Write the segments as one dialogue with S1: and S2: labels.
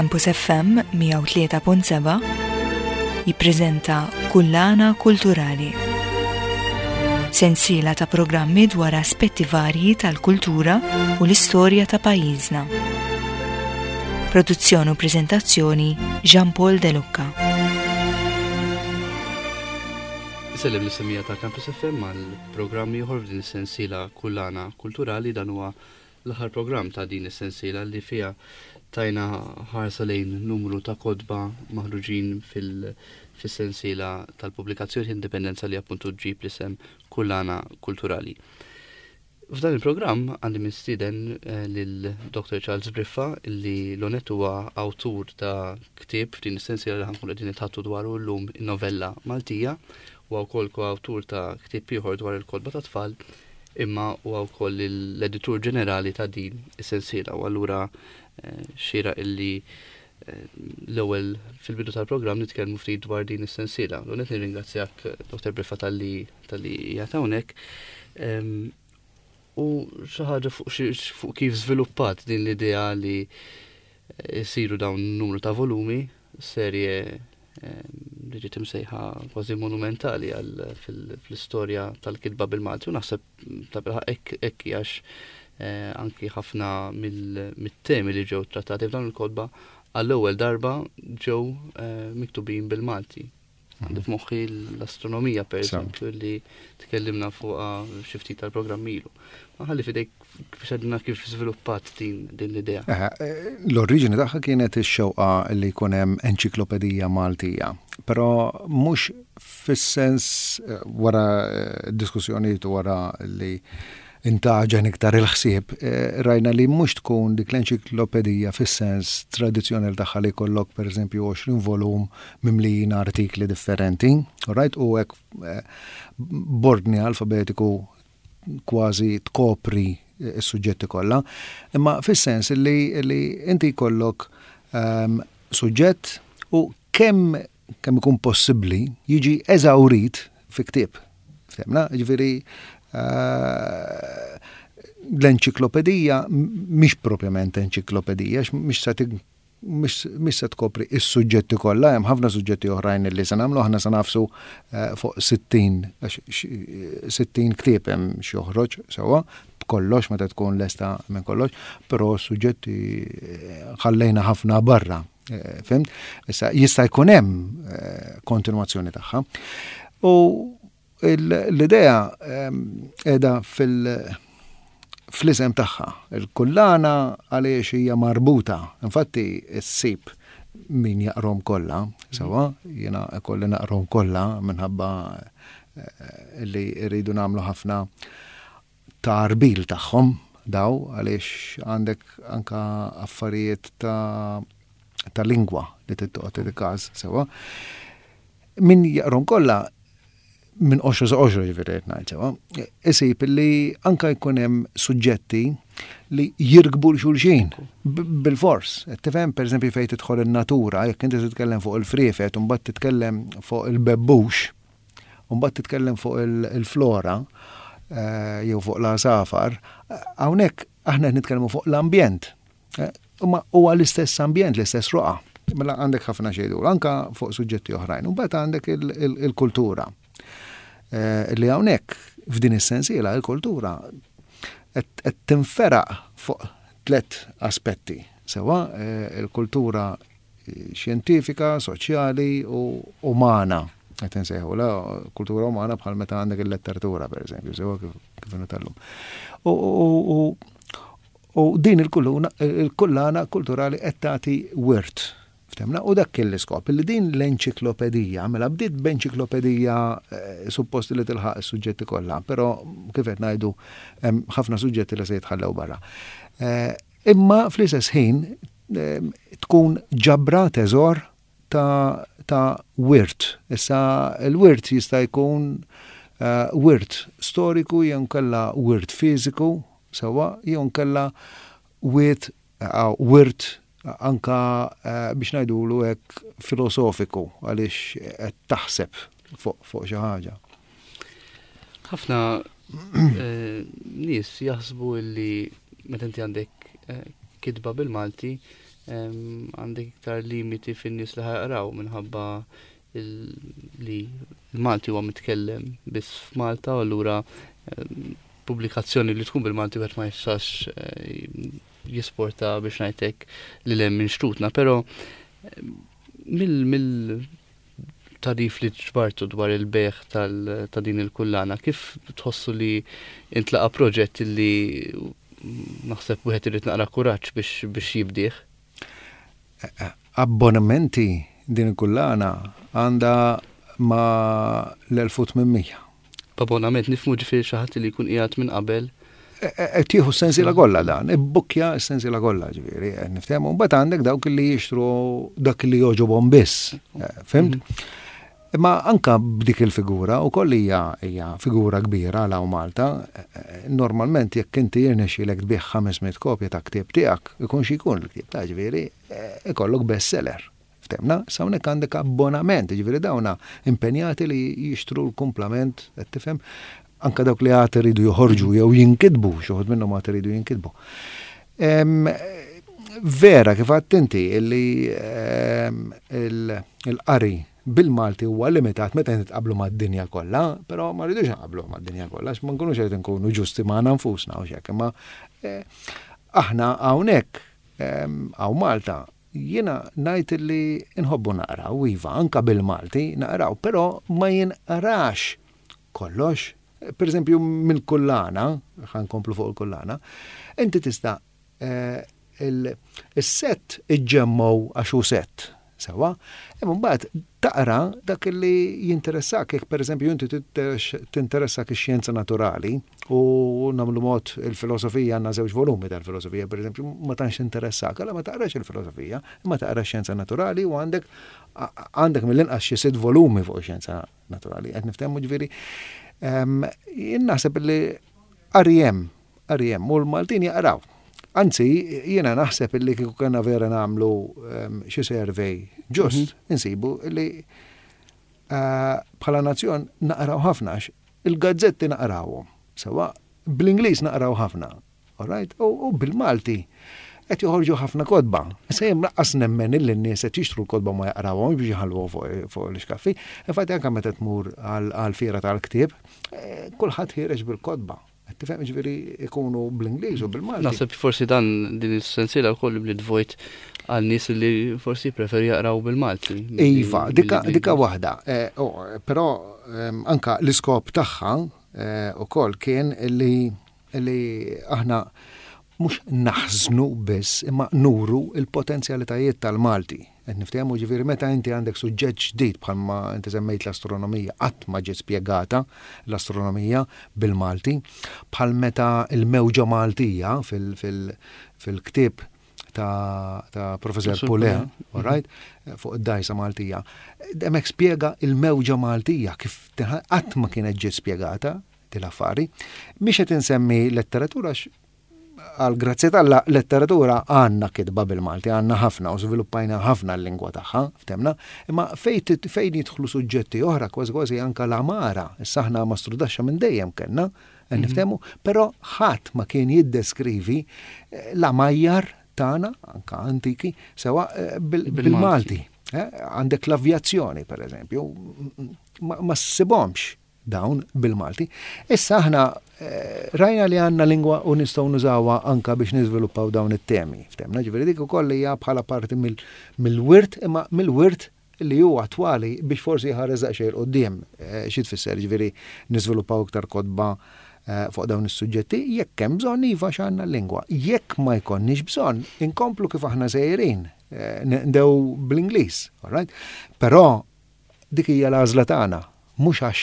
S1: Campus FM 103.7 jippreżenta Kullana Kulturali. Sensiela ta' programmi dwar aspetti varji tal-kultura u l-istorja ta' pajjiżna. Produzzjoni u preżentazzjoni Jean Paul De Lucca.
S2: Isellem l-issemija ta' Campus FM għal programm ieħor f'din is-sensiela Kullana Kulturali dan huwa L-aħħar programm ta' din is-sensiela li fiha tajna ħarsa lejn numru ta' kotba maħruġin fis-sensiela tal-pubblikazzjoni Indipendenza li appuntu ġġib l-isem Kullana Kulturali. F'dan il-programm għandi mistieden eh, lil Dr. Charles Briffa li l-onet huwa awtur ta' ktieb f'din is-sensiela li ħankun qegħdin nitħattu dwaru llum in-novella Maltija huwa wkoll koawtur ta' ktieb ieħor dwar il-kotba ta' tfal imma huwa wkoll l-editur ġenerali ta' din is-sensiela u allura eh, xieraq illi eh, l-ewwel fil-bidu tal-programm nitkellmu ftit dwar din is-sensiela. U qed nirringrazzjak Dr. Briffa talli talli qiegħed hawnhekk. Ehm, u xi ħaġa fuq kif żviluppat din l-idea li jsiru dawn numru ta' volumi, serje li ġiet imsejħa kważi monumentali għal fl-istorja tal-kitba bil-Malti u naħseb ta' bilħaq hekk għax eh, anki ħafna mill-temi li ġew trattati f'dawn il-kotba għall-ewwel darba ġew eh, miktubin bil-Malti. Għandi f'moħħi l-astronomija per eżempju li tkellimna fuqha xi ftit tal-programm ilu. Ma ħalli fidejk biex għedna kif żviluppat din din l-idea.
S3: Eh, l-oriġini tagħha kienet ix-xewqa li jkun hemm enċiklopedija Maltija, però mhux fis-sens eh, wara eh, diskussjonijiet wara li intaġen iktar il-ħsieb, eh, rajna li mhux tkun dik l-enċiklopedija fis-sens tradizzjonali tagħha li jkollok pereżempju 20 volum mimlijin artikli differenti, right? U hekk eh, b'ordni alfabetiku kważi tkopri s-suġġetti kollha, imma fis-sens li, li inti jkollok um, suġġett u kemm kemm ikun possibbli jiġi eżawrit fi ktieb. Ftemna, ġifieri eh, l-enċiklopedija mhix propjament enċiklopedija, mhix se mhix se tkopri is-suġġetti kollha, hemm ħafna suġġetti oħrajn li se nagħmlu, aħna se nafsu eh, fuq 60 60 ktieb hemm xi joħroġ sewwa b'kollox meta tkun lesta minn kollox, però suġġetti eh, ħallejna ħafna barra. Eh, fimt? Issa jista' jkun hemm eh, kontinwazzjoni tagħha. U l-idea ehm, qiegħda fil- fl-isem tagħha. Il-kullana għaliex hija marbuta. Infatti ssib min jaqrom kollha, sewa, jiena kolli naqrom kollha minħabba eh, li rridu nagħmlu ħafna tgħarbil tagħhom daw għaliex għandek anka affarijiet ta' ta' lingwa li tittoqgħod il-każ sewa. Min jaqrom kollha minn qoxra sa qoxra ġifieri qed ngħid sewa, isib li anka jkun hemm suġġetti li jirkbu l-xulxin bil-fors. Tifhem pereżempju fejn tidħol in-natura, jekk inti titkellem fuq il-friefet u mbagħad titkellem fuq il-bebbux, U mbagħad titkellem fuq il-flora eh, jew fuq l-għasafar, hawnhekk aħna qed nitkellmu fuq l-ambjent. Eh, imma huwa l-istess ambjent, l-istess roqa. Mela għandek ħafna xejdu, anka fuq suġġetti oħrajn. U mbagħad għandek il-kultura. Eh, li hawnhekk f'din is-sensiela il-kultura qed tinferaq fuq tlet aspetti. Sewa, il-kultura xjentifika, soċjali u umana. Qed insejħu la kultura umana bħal meta għandek il-letteratura, per eżempju, sewa kif inhu tal-lum. U din il-kullana kulturali qed tagħti wirt. Ftemna, u dak kien l-iskop, li din l-enċiklopedija, mela bdiet b'enċiklopedija eh, suppost li tilħaq is-suġġetti kollha, però kif qed ngħidu hemm ħafna suġġetti li se jitħallew barra. Eh, Imma fl-istess ħin tkun ġabra teżor ta', ta wirt. Issa l-wirt jista' jkun uh, wirt storiku jew nkella wirt fiżiku sewwa jew nkella wirt uh, wirt anka uh, biex ngħidulu hekk filosofiku għaliex qed taħseb fuq fu xi ħaġa.
S2: Ħafna eh, nies jaħsbu li meta inti għandek eh, kitba bil-Malti Għandek iktar limiti fin-nies li ħa jaqraw minħabba li l-Malti huwa mitkellem biss f'Malta u allura pubblikazzjoni li tkun bil-Malti wieħed ma jistax eh, jisporta biex ngħidlek li hemm minn xtutna, però mill mill tarif li ġbartu dwar il-beħ ta' din il-kullana, kif tħossu li intlaqa proġett li naħseb wieħed irid naqra kuraġġ biex biex jibdih?
S3: Abbonamenti din il-kullana għandha ma l-1800.
S2: B'abbonament nifhmu ġifieri xi ħadd li jkun qiegħed minn qabel.
S3: Qed tieħu s-sensiela kollha dan, ibbukkja s-sensiela kollha ġifieri, qed niftehmu. Mbagħad għandek dawk li jixtru dak li jogħġobhom biss. Fhimt? Imma anka b'dik il-figura wkoll hija hija figura kbira għal hawn Malta. Normalment jekk inti jirnexxielek tbigħ 500 kopja ta' ktieb tiegħek, ikun xi jkun il-ktieb ta' ġifieri, ikollok bestseller. Ftemna? Issa hawnhekk għandek abbonament, jiġifieri dawna impenjati li jixtru l-kumplament, qed tifhem? Anka dawk li għad iridu joħorġu jew jinkitbu, xi wħud minnhom għad iridu jinkitbu. Vera kif għedt inti li il-qari bil-Malti huwa limitat meta nitqablu mad-dinja kollha, però ma rridux nqablu mad-dinja kollha għax ma nkunux qed inkunu ġusti magħna nfusna u x'hekk, imma eh, aħna hawnhekk hawn Malta Jiena ngħid li nħobbu naqraw, iva, anke bil-Malti naqraw, però ma jinqrax kollox. Per eżempju, mill-kullana, ħa nkomplu fuq il-kullana, inti tista' il-sett iġġemmgħu għax hu sett, sewwa, imma mbagħad taqra dak li jinteressak, jekk per eżempju inti tinteressak ix-xjenza naturali, U nagħmlu mod il-filosofija għandna żewġ volumi tal-filosofija, pereżempju, ma tantx tinteressak, allura ma taqrax il-filosofija, imma taqra x-xjenza naturali u għandek għandek mill-inqas xi sitt volumi fuq ix-xjenza naturali. Qed niftehmu ġifieri. Ehm, jien naħseb li qari hemm, qari hemm u l-Maltin jaqraw. Anzi, jiena naħseb li kieku kellna vera nagħmlu ehm, xi survey ġust, mhm. insibu li eh, bħala nazzjon naqraw ħafna Il-gazzetti naqrawhom, sewwa, bl-Ingliż naqraw ħafna, all right, u bil-Malti qed joħorġu ħafna kotba. Issa jien lanqas nemmen illi n-nies qed jixtru l-kotba ma jaqrawhomx biex jħalluhom fuq l-ixkaffi. Infatti anke meta tmur għall-fiera tal-ktieb, eh, kulħadd ħiereġ bil-kotba. Qed tifhem ġifieri ikunu bl-Ingliż u bil-Malti.
S2: Naħseb forsi dan din is-sensiela wkoll bniet vojt għal nies li forsi jpreferu jaqraw bil-Malti.
S3: Iva, dika dika waħda. Eh, oh, però ehm, anka l-iskop tagħha eh, ukoll kien li li aħna mhux naħżnu biss imma nuru il-potenzjalitajiet tal-Malti. Qed niftehmu ġifieri meta inti għandek suġġett ġdid bħalma inti semmejt l-astronomija qatt ma ġiet spjegata l-astronomija bil-Malti, bħal meta l-mewġa Maltija fil-ktieb ta', ta Professor Pulea, all right, fuq id-dajsa Maltija. Hemmhekk spjega il-mewġa Maltija kif qatt ma kienet ġiet spjegata din l-affari. Mhix qed insemmi letteratura għal grazzja t'Alla letteratura għandna kitba bil-Malti, għandna ħafna u żviluppajna ħafna l-lingwa tagħha, ftemna, imma fejn fejn jidħlu suġġetti oħra kważi kważi anka l-għamara, issa aħna mastrudaxxa minn dejjem kellna, qed mhm. niftehmu, però ħadd ma kien jiddeskrivi eh, l-għamajjar tagħna, anka antiki, sewa eh, bil-Malti. Eh, għandek l-avjazzjoni, per eżempju, ma ssibhomx dawn bil-Malti. Issa aħna eh, rajna li għandna lingwa u nistgħu nużawha anka biex niżviluppaw dawn it-temi. Ftemna ġifieri dik ukoll hija bħala parti mill-wirt imma mill-wirt li huwa attwali biex forsi jħares daqsxejn 'il quddiem. Eh, xi tfisser ġifieri niżviluppaw iktar kotba eh, fuq dawn is-suġġetti jekk hemm bżonn iva x'għandna l-lingwa. Jekk ma jkollniex bżonn, inkomplu kif aħna sejrin, ndew bl-Ingliż, all right? Però Dik hija l-għażla tagħna, mhux għax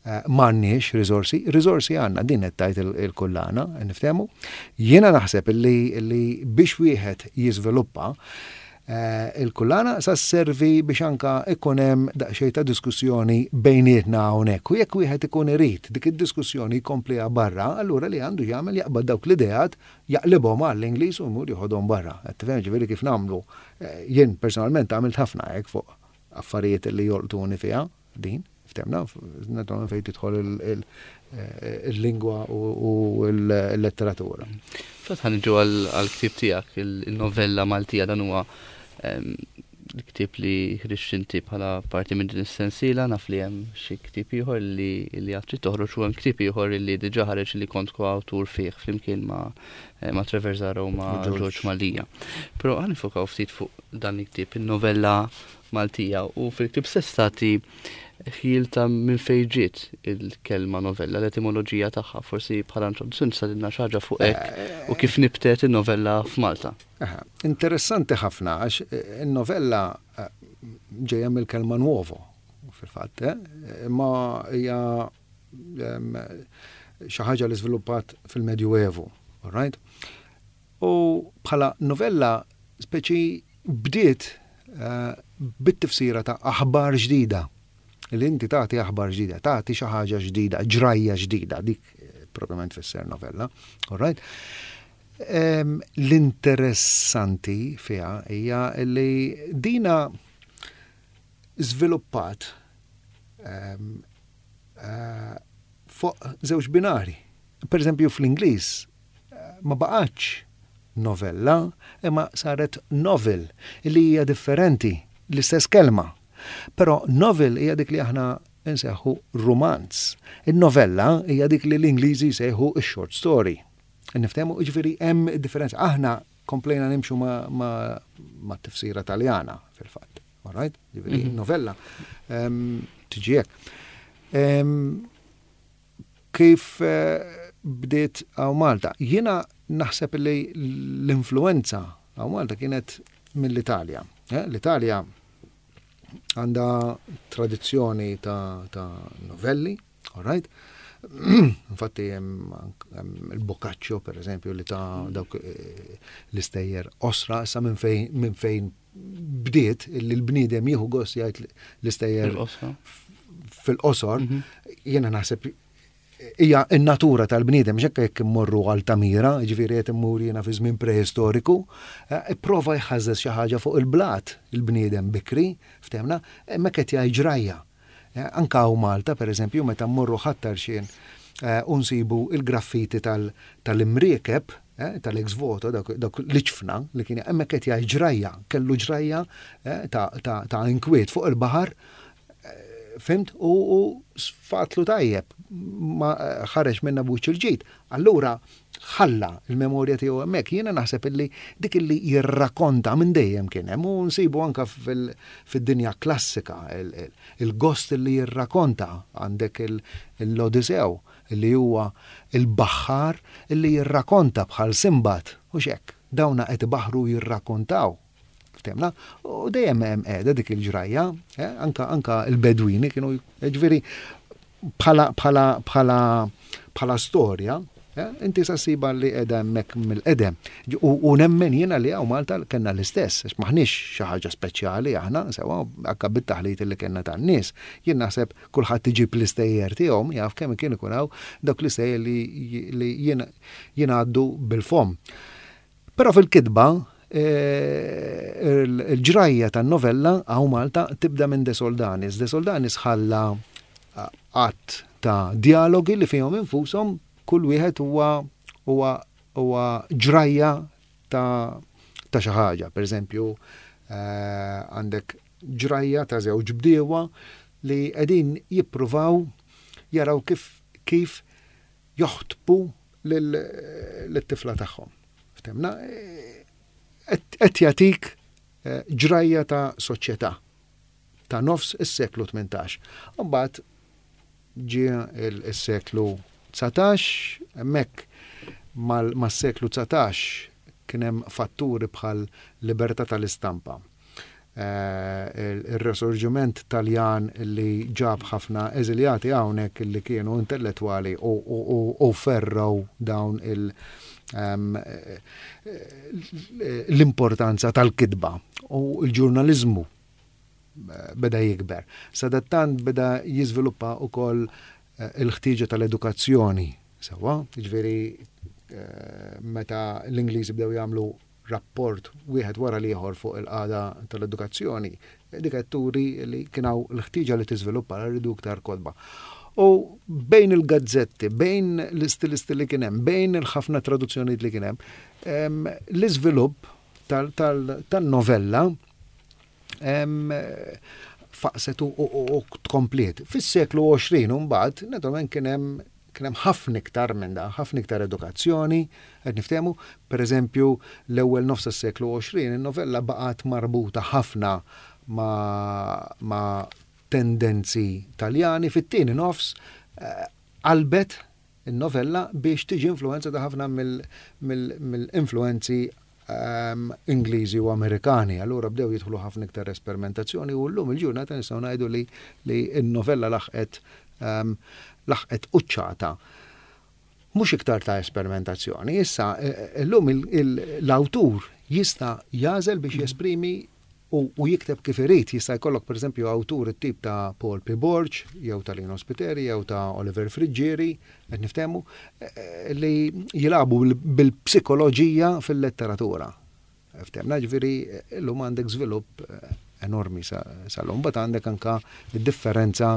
S3: m'għandniex riżorsi, riżorsi għandna, din qed tgħid il-kullana, niftehmu. Jiena naħseb li biex wieħed jiżviluppa il-kullana sa sservi biex anka ikun hemm daqsxejn ta' diskussjoni bejnietna hawnhekk. U jekk wieħed ikun irid dik id-diskussjoni jkompliha barra, allura li għandu jagħmel jaqbad dawk l-ideat, jaqlibhom għall-Ingliż u jmur joħodhom barra. Qed tifhem ġifieri kif nagħmlu jien personalment għamilt ħafna hekk fuq affarijiet li jolqtuni fiha din, Ftemna, naturalment fejn tidħol il-lingwa u l-letteratura.
S2: Fatt ħa niġu għall-ktieb tiegħek, il-novella Maltija, dan huwa l-ktieb li ħriġt inti bħala parti minn din is-sensiela, naf li hemm xi ktieb ieħor li li għad trid toħroġ u hemm ktieb ieħor li diġà ħareġ li kont koawtur fih flimkien ma' ma' Trevor Zahra u ma' George Mallia. Però ħa nifokaw ftit fuq dan il-ktieb, in-novella Maltija, u fil-ktieb stess tagħti ħjiel ta' minn fejn ġiet il-kelma novella, l-etimoloġija tagħha. Forsi bħala introduzzjoni tista' tgħidilna xi ħaġa fuq hekk u kif nibtet in-novella f'Malta.
S3: Interessanti ħafna għax in-novella ġejja mill-kelma nuovo fil-fatt, imma hija xi ħaġa li żviluppat fil-Medjuevu, all right? U bħala novella speċi bdiet bit-tifsira ta' aħbar ġdida. Li inti tagħti aħbar ġdida, tagħti xi ħaġa ġdida, ġrajja ġdida, dik propjament tfisser novella. All right? L-interessanti fiha hija li dina żviluppat fuq żewġ binari. Per eżempju fl-Ingliż ma baqgħetx novella imma saret novel li hija differenti, l-istess kelma. Però novel hija dik li aħna nsejħu rumanz. In-novella hija dik li l-Ingliżi jsejħu x-short story. Niftehmu, jiġifieri hemm differenza. Aħna komplejna nimxu ma' tifsira Taljana fil-fatt. All right? Jiġifieri novella tiġi hekk. Kif bdiet hawn Malta? Jiena naħseb li l-influenza hawn Malta kienet mill-Italja. L-Italja għandha tradizzjoni ta' novelli, all right? Infatti hemm il-Boccaccio, per eżempju, li ta' dawk l-istejjer qosra, issa minn fejn bdiet li l-bniedem jieħu gost jgħid l-istejjer fil-qosor, jiena naħseb hija n-natura tal-bniedem, xekka jekk immorru għal Tamira, ġifieri qed immur jiena fi żmien preistoriku, ipprova jħażżeż xi ħaġa fuq il-blat il-bniedem bikri, ftehmna, hemmhekk qed jgħid ġrajja. Anke hawn Malta, per eżempju, meta mmorru Ħat-Tarxien u nsibu l-graffiti tal-imriekeb, tal-ex voto, dawk l-iġfna li kien hemmhekk qed jgħid ġrajja, kellu ġrajja ta' inkwiet fuq il-baħar, fimt, u sfatlu tajjeb, ma ħareġ minna b'wiċċ il-ġid. Allura ħalla l-memorja tiegħu hemmhekk. Jiena naħseb illi dik illi jirrakonta minn dejjem kien hemm u nsibu anke fid-dinja klassika il-gost illi jirrakonta għandek l-Odisew li huwa l-baħħar illi jirrakonta bħal Sinbad, hux hekk? Dawna qed ibaħħru jirrakontaw. Ftemna? U dejjem hemm qiegħda dik il-ġrajja, eh? anka anka l-Bedwini kienu ġifieri bħala bħala bħala bħala storja, eh? inti sa ssiba li qiegħda hemmhekk mill-qedem. U, u nemmen jiena li hawn Malta kellna l-istess, għax m'aħniex xi ħaġa speċjali aħna, sewa anka bit-taħlit li kellna tan-nies. Jien naħseb kulħadd iġib l-istejjer tiegħu, jaf kemm kien ikun hawn dawk l-istejjer li, li jingħaddu bil-fom. Però fil-kitba, il-ġrajja tan-novella hawn Malta tibda minn De Soldanis. De Soldanis ħalla għadd ta' djalogi li fihom infushom kull wieħed huwa huwa huwa ġrajja ta' ta' xi ħaġa. Per eżempju, għandek ġrajja ta' żewġ bdiewa li qegħdin jippruvaw jaraw kif kif joħtbu lit-tifla tagħhom. Ftemna, qed jagħtik eh, ġrajja ta' soċjetà ta' nofs is-seklu 18. Mbagħad ġie is-seklu 19, hemmhekk mas-seklu 19 kien hemm fatturi bħal libertà tal-istampa ir-Resorġiment Taljan li ġab ħafna eżiljati hawnhekk li kienu intellettwali u ferrgħu dawn l-importanza tal-kitba u l-ġurnaliżmu beda jikber. Sadattant beda jiżviluppa wkoll il-ħtieġa tal-edukazzjoni sewwa, jiġifieri meta l-Ingliżi bdew jagħmlu rapport wieħed wara l-ieħor fuq il-qagħda tal-edukazzjoni. Dik qed turi li kien hawn l-ħtieġa li tiżviluppa rridu iktar kotba. U bejn il-gazzetti, bejn l-istilisti li kien hemm, bejn il-ħafna traduzzjonijiet li kien hemm, l-iżvilupp tan-novella faqset u tkompliet. Fis-seklu 20 mbagħad, naturalment kien hemm kien hemm ħafna iktar minn dan, ħafna iktar edukazzjoni, qed niftehmu, pereżempju l-ewwel nofs tas-seklu 20 in-novella baqgħet marbuta ħafna ma', ma tendenzi Taljani, fit-tieni nofs eh, qalbet in-novella biex tiġi influenzata ħafna mill-influenzi ehm, Ingliżi u Amerikani. Allura bdew jidħlu ħafna iktar esperimentazzjoni u llum il-ġurnata nistgħu ngħidu li li n-novella laħqet ehm, laħqet quċċata mhux iktar ta' esperimentazzjoni. Issa llum l-awtur jista' jagħżel biex jesprimi u jikteb kif irid. Jista' jkollok pereżempju awtur it-tip ta' Paul P. Borg, jew ta' Lino Spiteri, jew ta' Oliver Friggieri, qed niftehmu, li jilagħbu bil-psikoloġija fil-letteratura. Ftehmna ġifieri llum għandek żvilupp enormi sal-lum, mbagħad għandek anka d-differenza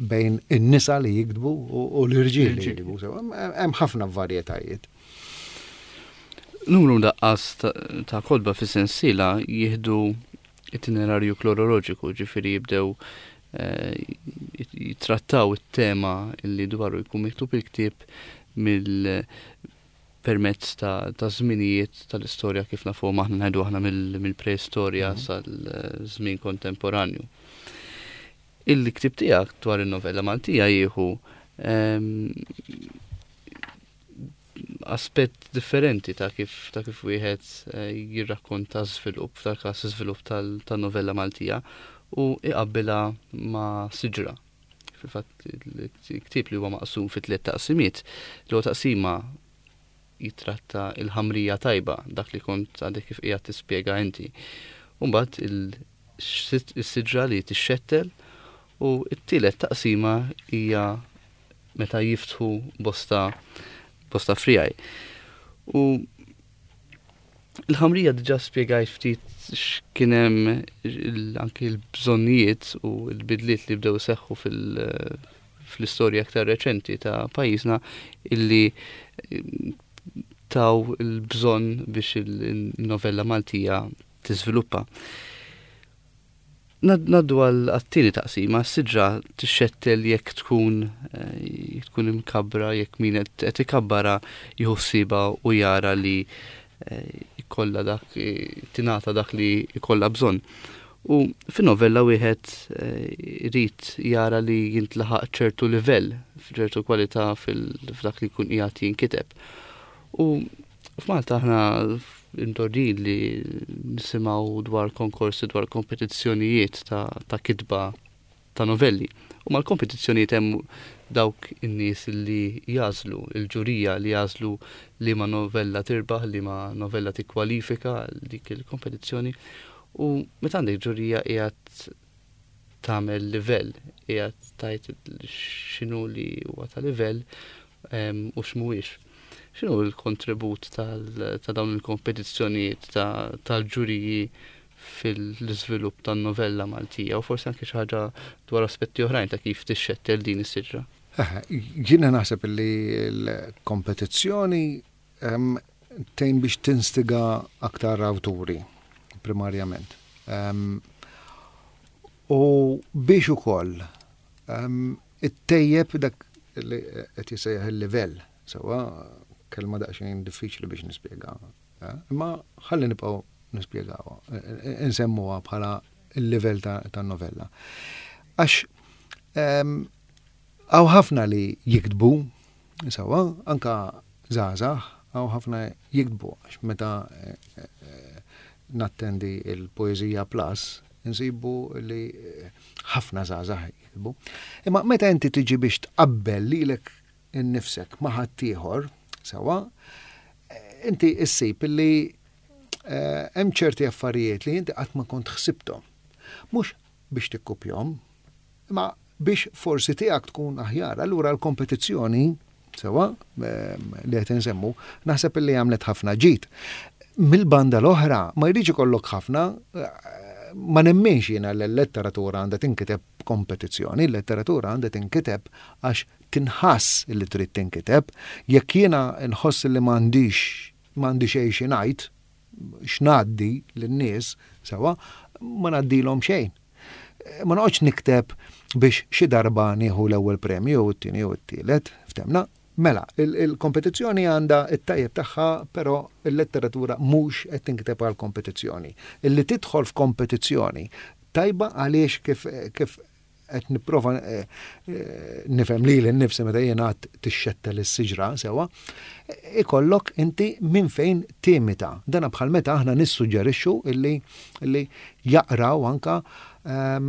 S3: bejn in-nisa li jiktbu u l-irġiel li jiktbu. Hemm ħafna varjetajiet.
S2: Numru daqqas ta' kotba fis-sensiela jieħdu itinerarju kloroloġiku, ġifieri jibdew eh, jitrattaw it-tema li dwaru jkun miktub il-ktieb mill permezz ta' żminijiet tal-istorja kif nafuhom aħna ngħidu aħna mill-preistorja mhm. sal-żmien kontemporanju. Il-ktieb tiegħek dwar in-novella Maltija jieħu ehm, aspett differenti ta' kif ta' kif wieħed eh, jirrakkonta żvilupp, f'dal-każ żvilupp tan-novella Maltija u iqabbilha ma' siġra. Fil-fatt il-ktieb li huwa maqsum fi tliet taqsimiet, l-ewwel taqsima jitratta il-ħamrija tajba, dak li kont għadek kif qiegħed tispjega inti. U mbagħad is-siġra li tixxettel u t-tielet taqsima hija meta jiftħu bosta bosta frijaj. U Il-ħamrija diġà spjegajt ftit x'kien hemm anki l-bżonnijiet u l-bidliet li bdew iseħħu fl-istorja aktar reċenti ta' pajjiżna illi eh, taw il-bżonn biex il-novella Maltija tiżviluppa. Naddu għal għat-tieni taqsima, s-siġra tixxettel jekk tkun eh, tkun imkabbra, jekk min qed ikabbara jieħu ħsiebha u jara li eh, jkollha dak eh, tingħata dak li jkollha bżonn. U fin-novella wieħed irid jara li jintlaħaq ċertu livell, ċertu kwalità f'dak li jkun qiegħed jinkiteb. U F'Malta aħna imdorrijin li nisimgħu dwar konkorsi dwar kompetizzjonijiet ta', ta kitba ta' novelli. U mal-kompetizzjonijiet hemm dawk in-nies li jażlu, il-ġurija li jażlu li ma novella tirbaħ, li ma novella tikkwalifika għal dik il-kompetizzjoni. U meta għandek ġurija qiegħed tagħmel livell, qiegħed tgħid x'inhu li huwa ta' livell u x'mhuwiex. X'inhu l-kontribut ta' dawn il-kompetizzjonijiet tal-ġuriji fil-iżvilupp tan-novella Maltija u forsi anke xi ħaġa dwar aspetti oħrajn ta' kif tixxettel din is-siġra?
S3: Jiena naħseb li l-kompetizzjoni tgħin biex tinstiga aktar awturi primarjament. U biex ukoll ittejjeb dak li qed jissejjaħ il-livell, sewwa kelma daqsxejn diffiċli biex nispjega. Eh, imma ħalli nibqgħu nispjegawha, eh, insemmuha bħala il-livell tan-novella. Għax ehm, hawn ħafna li jiktbu, sewwa, anka żgħażagħ, hawn ħafna jiktbu għax meta eh, nattendi il-Poeżija Plus, insibu li ħafna żgħażagħ jiktbu. Imma meta inti tiġi biex tqabbel lilek innifsek ma' ħaddieħor, sewwa, inti issib li eh, hemm ċerti affarijiet li inti qatt ma kont ħsibthom. Mhux biex tikkupjhom, imma biex forsi tiegħek tkun aħjar. Allura l-kompetizzjoni sewwa ehm, li qed insemmu, naħseb li għamlet ħafna ġid. Mill-banda l-oħra ma jridx ikollok ħafna eh, Ma nemminx jiena li l-letteratura għandha tinkiteb b'kompetizzjoni, il-letteratura għandha tinkiteb għax tinħass li trid tinkiteb. Jekk jiena nħoss li m'għandix m'għandi xejn xi ngħid, x'ngħaddi lin-nies, sewwa, ma ngħaddilhom xejn. Ma noqgħodx nikteb biex xi darba nieħu l-ewwel premju jew it-tieni jew it-tielet, ftemna? Mela, il-kompetizzjoni għandha t-tajjeb tagħha però l-letteratura mhux qed tinkiteb għall-kompetizzjoni. Illi tidħol f'kompetizzjoni tajba għaliex kif kif qed nipprova nifhem lili nnifsi meta jien għad tixxettel is-siġra sewwa, ikollok inti minn fejn timita. Dana bħal meta aħna nissuġġerixxu illi illi jaqraw anka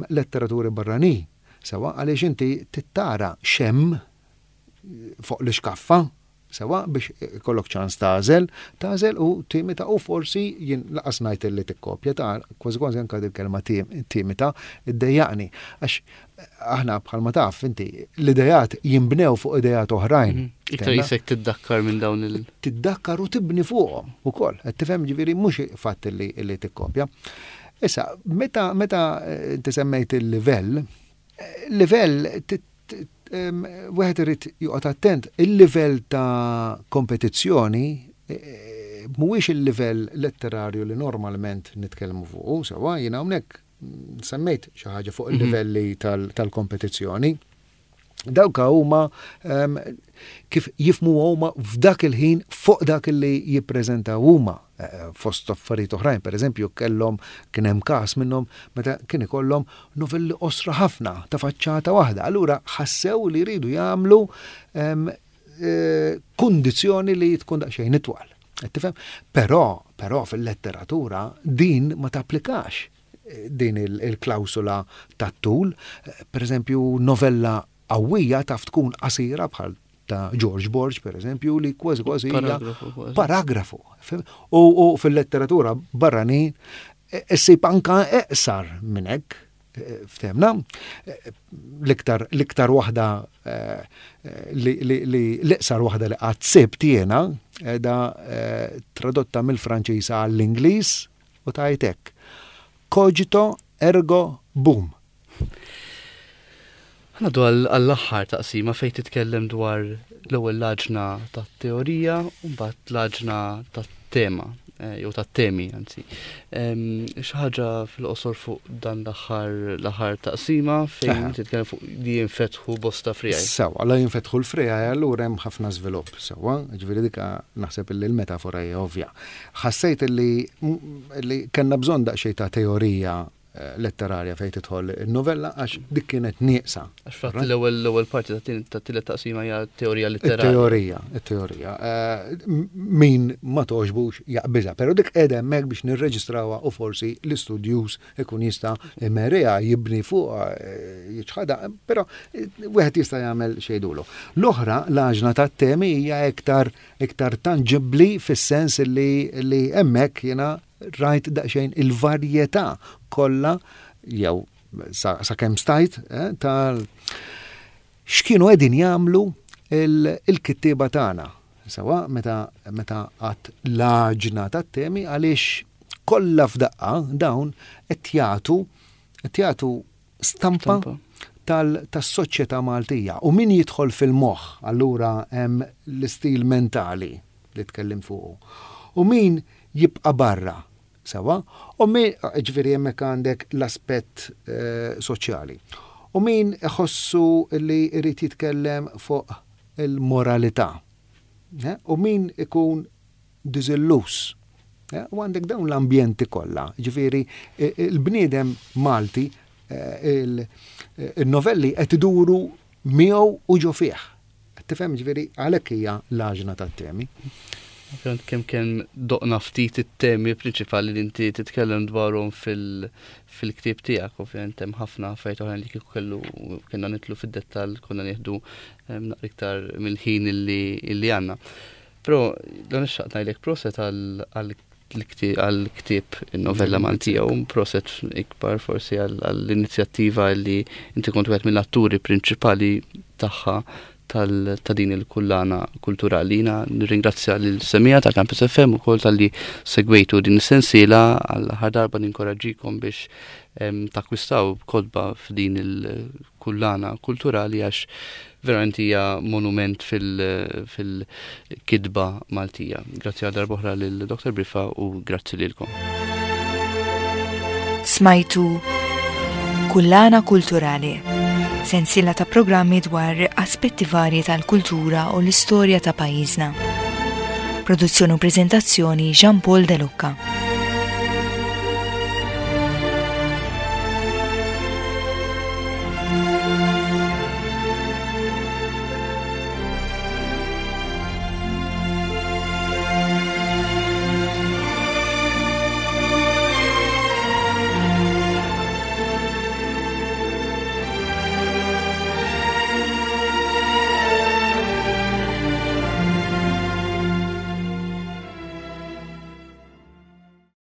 S3: letteraturi barranin sewwa għaliex inti trid tara x'hemm fuq l-ixkaffa, sewwa biex ikollok ċans tagħżel, tagħżel u timita u forsi jien laqas ngħid li tikkopja ta' kważi kważi anke il-kelma timita iddejjaqni għax aħna bħalma taf inti l-idejat jinbnew fuq idejat oħrajn.
S2: Iktar jisek tiddakkar minn dawn il-
S3: Tiddakkar u tibni fuqhom ukoll. Qed tifhem ġifieri mhux fatt li li tikkopja. Issa, meta meta inti semmejt il-livell, livell wieħed irid joqgħod attent, il-livell ta' kompetizzjoni mhuwiex il-livell letterarju li normalment nitkellmu fuqu, sewwa jiena hawnhekk semmejt xi ħaġa fuq il-livelli tal-kompetizzjoni. Dawka huma kif jifhmu huma f'dak il-ħin fuq dak li jippreżentaw huma fost affarijiet oħrajn, per eżempju, kellhom kien hemm każ minnhom meta kien ikollhom novelli qosra ħafna ta' faċċata waħda. Allura ħassew li jridu jagħmlu kundizzjoni li tkun daqsxejn itwal. Qed tifhem? Però, però fil-letteratura din ma tapplikax din il-klawsula tat-tul. Per eżempju, novella qawwija taf tkun qasira bħal ta' George Borg, per eżempju, li kważi kważi hija paragrafu. U fil-letteratura barranin issib anka eqsar minn hekk, ftemna. L-iktar l-iktar waħda li l-iqsar waħda li qatt sibt jiena da tradotta mill-Franċiż għall-Ingliż u tgħid hekk. Cogito ergo boom.
S2: Ngħaddu għall-aħħar taqsima fejn titkellem dwar l-ewwel l-għaġna tat-teorija u mbagħad l-għaġna tat-tema jew tat-temi anzi. Xi ħaġa fil-qosor fuq dan l-aħħar l-aħħar taqsima fejn titkellem fuq li jinfetħu bosta friegħi.
S3: Sewwa, la jinfetħu l-friegħi allura hemm ħafna żvilupp, sewwa, ġifieri dika naħseb illi l-metafora hija ovvja. Ħassejt illi li kellna bżonn daqsxejn ta' teorija letterarja fejn tidħol in-novella għax dik kienet nieqsa.
S2: Għax fatt l-ewwel l-ewwel parti tat-tielet taqsima hija teorija letterarja.
S3: Teorija, it-teorija. Min ma togħġbux jaqbiżha, però dik qiegħda hemmhekk biex nirreġistrawha u forsi l-istudjuż ikun jista' imerriha, jibni fuqha, jiċħadha, però wieħed jista' jagħmel xejdulu. L-oħra, l-għaġna tat-temi hija iktar iktar tanġibbli fis-sens li li hemmhekk jiena rajt daqsxejn il-varjetà kollha jew sa, sa kemm stajt tal x'kienu qegħdin jagħmlu il-kittieba tagħna. Sewwa meta meta għadt l-għaġna tat-temi għaliex kollha f'daqqa dawn qed jagħtu qed jagħtu stampa tas-soċjetà Maltija. U min jidħol fil-moħħ allura hemm l-istil mentali li tkellimt fuqu. U min jibqa' barra, sewwa, u min, ġifieri hemmhekk għandek l-aspett soċjali. U min iħossu li jrid jitkellem fuq il-moralità. U min ikun diżilluż. U għandek dawn l-ambjenti kollha, ġifieri il-bniedem Malti il-novelli qed iduru miegħu u ġo fih. Tifhem ġifieri għalhekk hija l-għaġna tat-temi.
S2: Ovvjament kemm kemm doqna ftit it-temi prinċipali li inti titkellem dwarhom fil-ktieb tiegħek, ovvjament hemm ħafna affarijiet oħrajn li kieku kellu kellna nidħlu fid-dettall konna nieħdu naqra iktar mill-ħin illi għandna. Però dan ix-xaqt ngħidlek proset għall-ktieb in-novella Maltija u proset ikbar forsi għall-inizjattiva li inti kont wieħed mill-atturi prinċipali tagħha. ta' din il-kullana kulturali. Jiena nirringrazzja lil semija ta' Campus FM ukoll talli segwejtu din is-sensiela għall-aħħar darba ninkoraġġikom biex takkwistaw kotba f'din il-kullana kulturali għax verament hija monument fil-kitba Maltija. Grazzi għal darb'oħra lil Dr. Briffa u grazzi lilkom.
S1: Smajtu Kullana Kulturali, sensiela ta' programmi dwar aspetti varji tal-kultura u l-istorja ta' pajjiżna. Produzzjoni u preżentazzjoni Jean Paul De Lucca.